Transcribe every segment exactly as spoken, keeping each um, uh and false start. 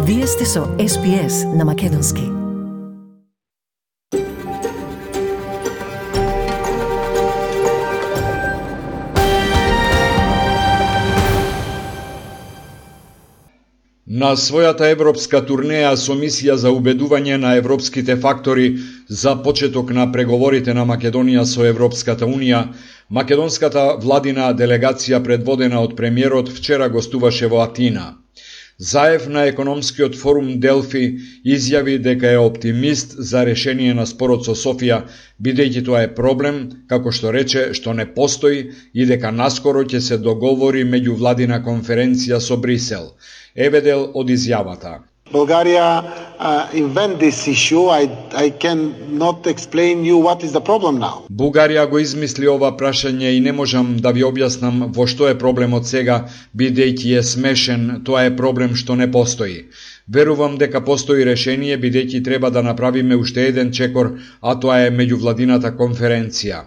Вие сте со Ес Би Ес на Македонски. На својата европска турнеја со мисија за убедување на европските фактори за почеток на преговорите на Македонија со Европската Унија, македонската владина делегација предводена од премиерот вчера гостуваше во Атина. Заев на економскиот форум Делфи изјави дека е оптимист за решение на спорот со Софија, бидејќи тоа е проблем, како што рече, што не постои и дека наскоро ќе се договори меѓувладина конференција со Брисел. Еве дел од изјавата. Bulgaria uh, invent this issue. I, I cannot explain you what is the problem now. Бугарија го измисли ова прашање и не можам да ви објаснам во што е проблемот сега, бидејќи е смешен, тоа е проблем што не постои. Верувам дека постои решение, бидејќи треба да направиме уште еден чекор, а тоа е меѓувладината конференција.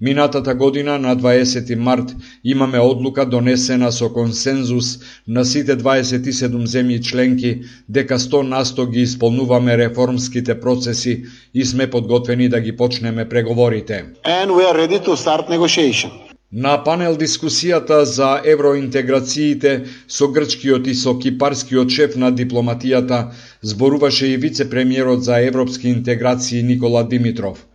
Минатата година, на дваесети март, имаме одлука донесена со консензус на сите дваесет и седум земји членки дека сто на сто ги исполнуваме реформските процеси и сме подготвени да ги почнеме преговорите. And we are ready to start negotiation. На панел дискусијата за евроинтеграциите со грчкиот и со кипарскиот шеф на дипломатијата зборуваше и вице-премиерот за европски интеграции Никола Димитров.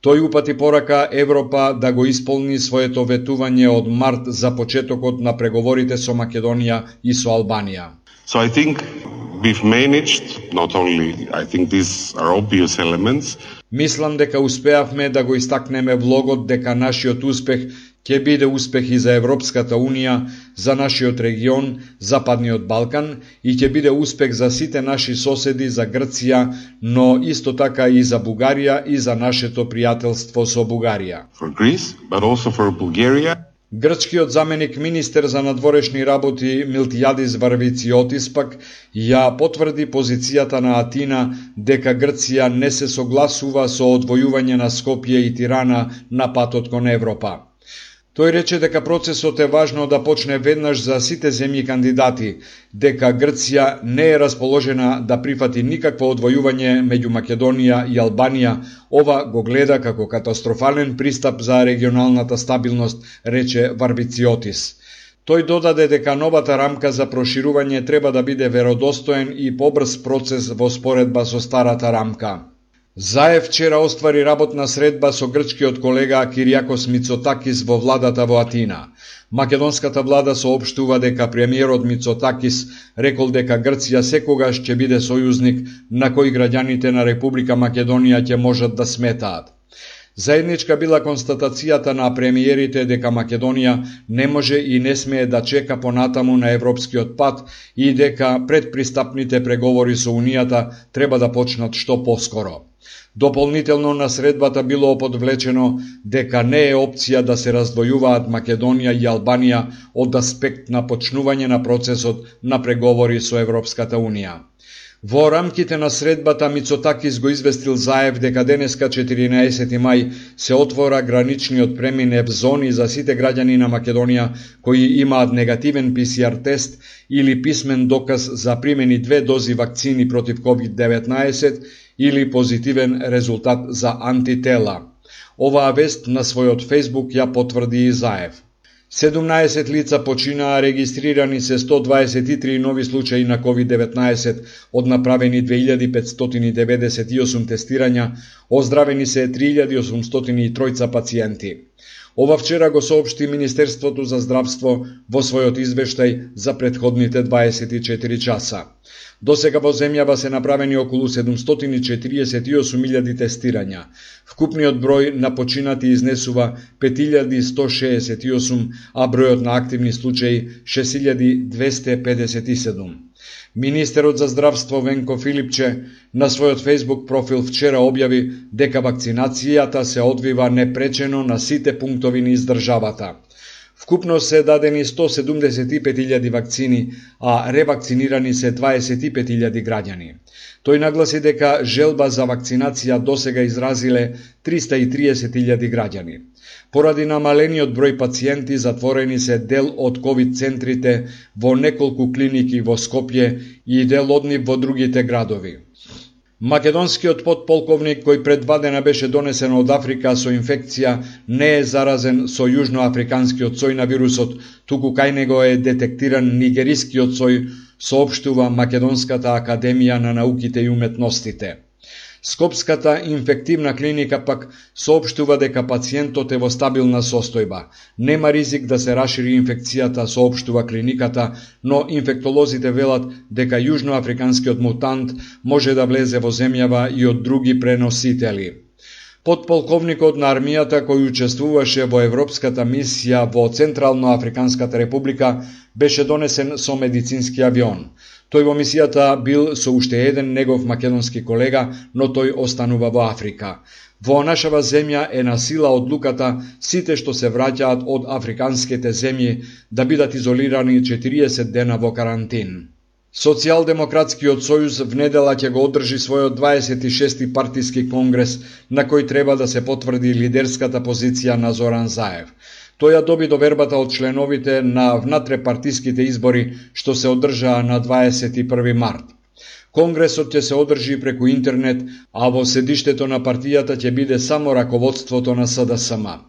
Тој упати порака Европа да го исполни своето ветување од март за почетокот на преговорите со Македонија и со Албанија. So I think we've managed, not only, I think these are obvious elements. Мислам дека успеавме да го истакнеме влогот дека нашиот успех ќе биде успех и за Европската Унија, за нашиот регион, Западниот Балкан, и ќе биде успех за сите наши соседи, за Грција, но исто така и за Бугарија и за нашето пријателство со Бугарија. For Greece, but also for Bulgaria. Грчкиот заменик министер за надворешни работи Милтијадис Варвициотис пак ја потврди позицијата на Атина дека Грција не се согласува со одвојување на Скопје и Тирана на патот кон Европа. Тој рече дека процесот е важно да почне веднаш за сите земји кандидати, дека Грција не е расположена да прифати никакво одвојување меѓу Македонија и Албанија. Ова го гледа како катастрофален пристап за регионалната стабилност, рече Варвициотис. Тој додаде дека новата рамка за проширување треба да биде веродостоен и побрз процес во споредба со старата рамка. Заев вчера оствари работна средба со грчкиот колега Киријакос Мицотакис во владата во Атина. Македонската влада соопштува дека премиерот Мицотакис рекол дека Грција секогаш ќе биде сојузник на кој граѓаните на Република Македонија ќе можат да сметаат. Заедничка била констатацијата на премиерите дека Македонија не може и не смее да чека понатаму на европскиот пат и дека предпристапните преговори со Унијата треба да почнат што поскоро. Дополнително на средбата било подвлечено дека не е опција да се раздвојуваат Македонија и Албанија од аспект на почнување на процесот на преговори со Европската Унија. Во рамките на средбата Мицотакис го известил Заев дека денеска четиринаесети мај се отвора граничниот премин зони за сите граѓани на Македонија кои имаат негативен Пи Си Ар тест или писмен доказ за примени две дози вакцини против ковид деветнаесет или позитивен резултат за антитела. Оваа вест на својот Фејсбук ја потврди и Заев. седумнаесет лица починаа, регистрирани се сто дваесет и три нови случаи на ковид деветнаесет, од направени две илјади петстотини деведесет и осум тестирања, оздравени се три илјади осумстотини и тројца пациенти. Ова вчера го соопшти Министерството за здравство во својот извештај за претходните дваесет и четири часа. Досега во земјава се направени околу седумстотини четириесет и осум илјади тестирања. Вкупниот број на починати изнесува пет илјади сто шеесет и осум, а бројот на активни случаи шест илјади двесте педесет и седум. Министерот за здравство Венко Филипче на својот Фејсбук профил вчера објави дека вакцинацијата се одвива непречено на сите пунктови низ државата. Вкупно се дадени сто седумдесет и пет илјади вакцини, а ревакцинирани се дваесет и пет илјади граѓани. Тој нагласи дека желба за вакцинација досега изразиле триста и триесет илјади граѓани. Поради намалениот број пациенти, затворени се дел од ковид центрите во неколку клиники во Скопје и дел од нив во другите градови. Македонскиот подполковник кој пред два дена беше донесен од Африка со инфекција не е заразен со јужноафриканскиот сој на вирусот, туку кај него е детектиран нигерискиот сој, соопштува Македонската академија на науките и уметностите. Скопската инфективна клиника пак соопштува дека пациентот е во стабилна состојба. Нема ризик да се расшири инфекцијата, соопштува клиниката, но инфектолозите велат дека јужноафриканскиот мутант може да влезе во земјава и од други преносители. Подполковникот на армијата кој учествуваше во европската мисија во Централно-Африканската република беше донесен со медицински авион. Тој во мисијата бил со уште еден негов македонски колега, но тој останува во Африка. Во нашава земја е на сила одлуката сите што се враќаат од африканските земји да бидат изолирани четириесет дена во карантин. Социјалдемократскиот сојуз внедела ќе го одржи својот дваесет и шести партиски конгрес, на кој треба да се потврди лидерската позиција на Зоран Заев. Тој ја доби довербата од членовите на внатрепартиските избори што се одржаа на дваесет и први март. Конгресот ќе се одржи преку интернет, а во седиштето на партијата ќе биде само раководството на С Д С М.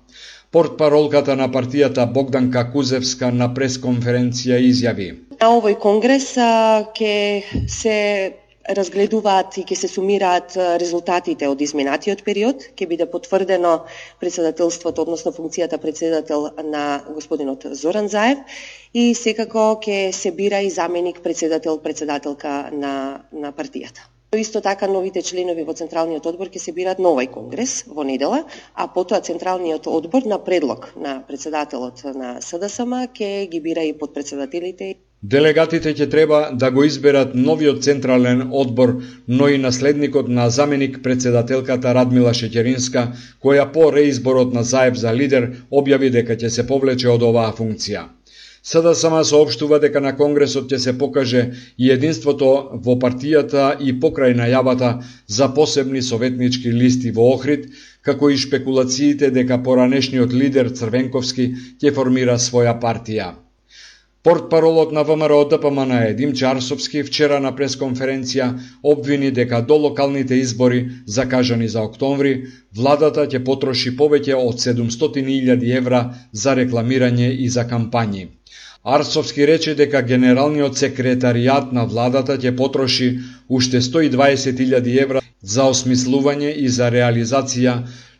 Портпаролката на партијата Богданка Кузевска на пресконференција изјави: На овој конгрес ќе се разгледуваат и ќе се сумираат резултатите од изминатиот период, ќе биде потврдено председателството, односно функцијата председател на господинот Зоран Заев и секако ќе се бира и заменик председател, председателка на, на партијата. Исто така новите членови во Централниот одбор ќе се бират на овој конгрес во недела, а потоа Централниот одбор на предлог на председателот на С Д С М ќе ги бира и подпредседателите. Делегатите ќе треба да го изберат новиот Централен одбор, но и наследникот на заменик председателката Радмила Шеќеринска, која по реизборот на Заев за лидер објави дека ќе се повлече од оваа функција. С Д С М соопштува дека на конгресот ќе се покаже и единството во партијата и покрај најавата за посебни советнички листи во Охрид, како и шпекулациите дека поранешниот лидер Црвенковски ќе формира своја партија. Портпаролот на ВМРО Д П М Н Димчо Арсовски вчера на пресконференција обвини дека до локалните избори, закажани за октомври, владата ќе потроши повеќе од седумстотини илјади евра за рекламирање и за кампањи. Арсовски рече дека генералниот секретаријат на владата ќе потроши уште сто и дваесет илјади евра за осмислување и за реализација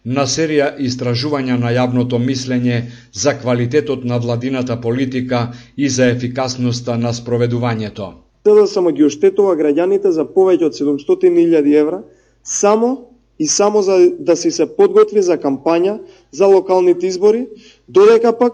на серија истражувања на јавното мислење за квалитетот на владината политика и за ефикасноста на спроведувањето. С Д С М ги оштетува граѓаните за повеќе од седумстотини илјади евра само и само за да си се подготви за кампања за локалните избори, додека пак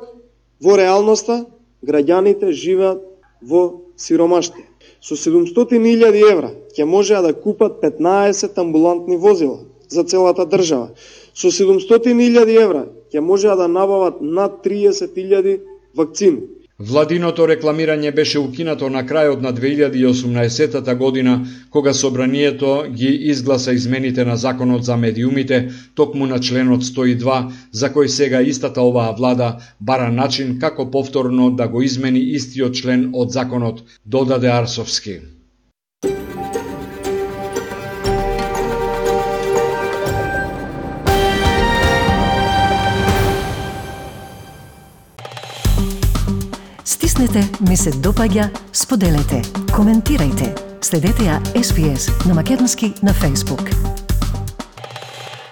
во реалноста граѓаните живеат во сиромаштија. Со седумстотини илјади евра ќе можеа да купат петнаесет амбулантни возила за целата држава. Со седумстотини илјади евра ќе можеа да набават над триесет илјади вакцини. Владиното рекламирање беше укинато на крајот на две илјади и осумнаесетата година, кога собранието ги изгласа измените на законот за медиумите, токму на членот сто и два, за кој сега истата оваа влада бара начин како повторно да го измени истиот член од законот, додаде Арсовски. Стиснете, ми се допаѓа, споделете, коментирајте. Следете ја С Б С на македонски на Facebook.